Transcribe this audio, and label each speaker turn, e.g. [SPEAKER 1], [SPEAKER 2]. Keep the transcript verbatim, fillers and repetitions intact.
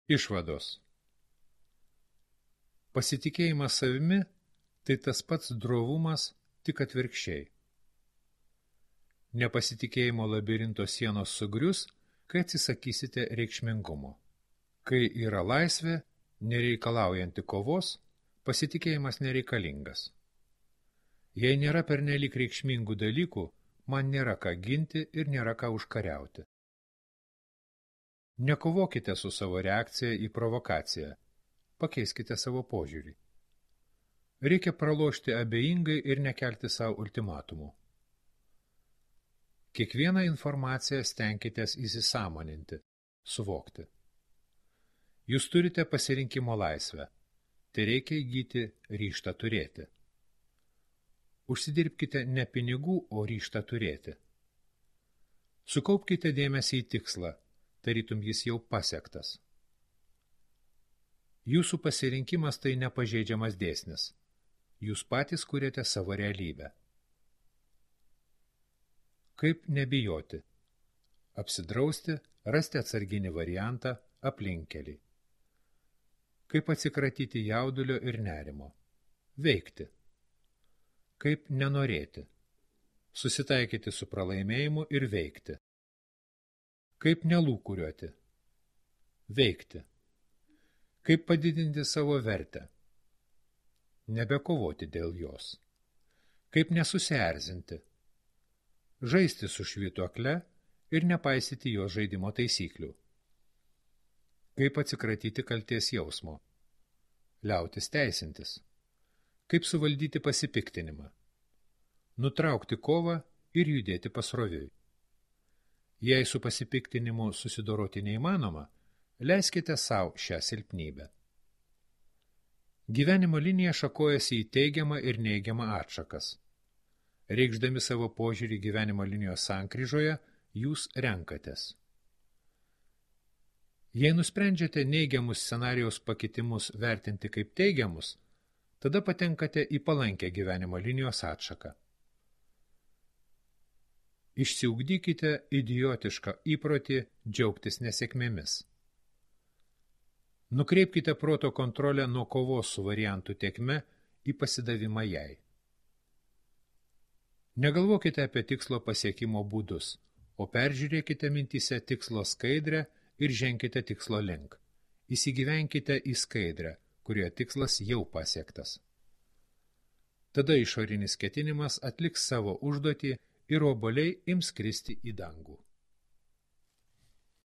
[SPEAKER 1] Išvados. Pasitikėjimas savimi – tai tas pats drovumas, tik atvirkščiai. Nepasitikėjimo labirinto sienos sugrius, kai atsisakysite reikšmingumo. Kai yra laisvė, nereikalaujanti kovos, pasitikėjimas nereikalingas. Jei nėra pernelyg reikšmingų dalykų, man nėra ką ginti ir nėra ką užkariauti. Nekovokite su savo reakcija į provokaciją. Pakeiskite savo požiūrį. Reikia pralošti abejingai ir nekelti savo ultimatumų. Kiekvieną informaciją stenkitės įsisąmoninti, suvokti. Jūs turite pasirinkimo laisvę. Tai reikia įgyti ryžtą turėti. Užsidirbkite ne pinigų, o ryžtą turėti. Sukaupkite dėmesį į tikslą, tarytum jis jau pasiektas. Jūsų pasirinkimas tai nepažeidžiamas dėsnis. Jūs patys kuriate savo realybę. Kaip nebijoti? Apsidrausti, rasti atsarginį variantą, aplinkelį. Kaip atsikratyti jaudulio ir nerimo? Veikti. Kaip nenorėti? Susitaikyti su pralaimėjimu ir veikti. Kaip nelūkuriuoti? Veikti. Kaip padidinti savo vertę? Nebekovoti dėl jos. Kaip nesusierzinti? Žaisti su švytuokle ir nepaisyti jos žaidimo taisyklių. Kaip atsikratyti kaltės jausmo? Liautis teisintis. Kaip suvaldyti pasipiktinimą? Nutraukti kovą ir judėti pasroviui. Jei su pasipiktinimu susidoroti neįmanoma, leiskite sau šią silpnybę. Gyvenimo linija šakojasi į teigiamą ir neigiamą atšakas. Reikšdami savo požiūrį gyvenimo linijos sankryžoje, jūs renkatės. Jei nusprendžiate neigiamus scenarijaus pakitimus vertinti kaip teigiamus, tada patenkate į palankę gyvenimo linijos atšaką. Išsiugdykite idiotišką įprotį džiaugtis nesėkmėmis. Nukreipkite proto kontrolę nuo kovos su variantų tėkme į pasidavimą jai. Negalvokite apie tikslo pasiekimo būdus, o peržiūrėkite mintyse tikslo skaidrę ir ženkite tikslo link. Įsigyvenkite į skaidrę, kurioje tikslas jau pasiektas. Tada išorinis ketinimas atliks savo užduotį ir obuoliai ims kristi į dangų.